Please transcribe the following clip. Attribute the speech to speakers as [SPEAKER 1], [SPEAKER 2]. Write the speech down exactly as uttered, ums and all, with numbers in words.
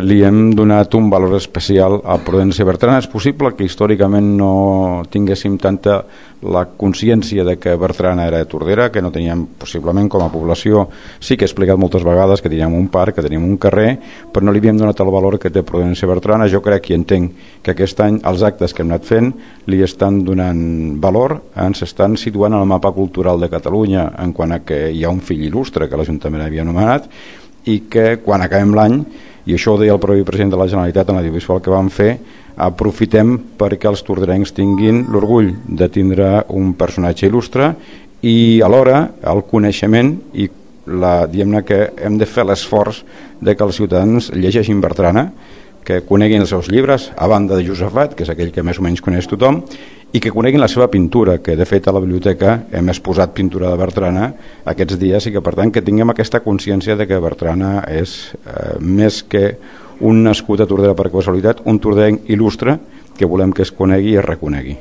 [SPEAKER 1] Li hem donat un valor especial a Prudència Bertrana. És possible que històricament no tinguéssim tanta la consciència de que Bertrana era Tordera, que no teníem possiblement com a població. Sí que he explicat moltes vegades que teníem un parc, que teníem un carrer, però no li havíem donat el valor que té Prudència Bertrana. Jo crec i entenc que aquest any els actes que hem anat fent li estan donant valor, ens estan situant en el mapa cultural de Catalunya en quant a que hi ha un fill il·lustre que l'Ajuntament havia anomenat, i que quan acabem l'any, i això ho deia el propi president de la Generalitat en l'audiovisual que vam fer, aprofitem perquè els torderencs tinguin l'orgull de tindre un personatge il·lustre i alhora el coneixement i la, diguem-ne que hem de fer l'esforç de que els ciutadans llegeixin Bertrana, que coneguin els seus llibres, a banda de Josafat, que és aquell que més o menys coneix tothom, i que coneguin la seva pintura, que de fet a la biblioteca hem exposat pintura de Bertrana aquests dies, i que per tant que tinguem aquesta consciència de que Bertrana és eh, més que un nascut a Tordera per casualitat, un torderenc il·lustre que volem que es conegui i es reconegui.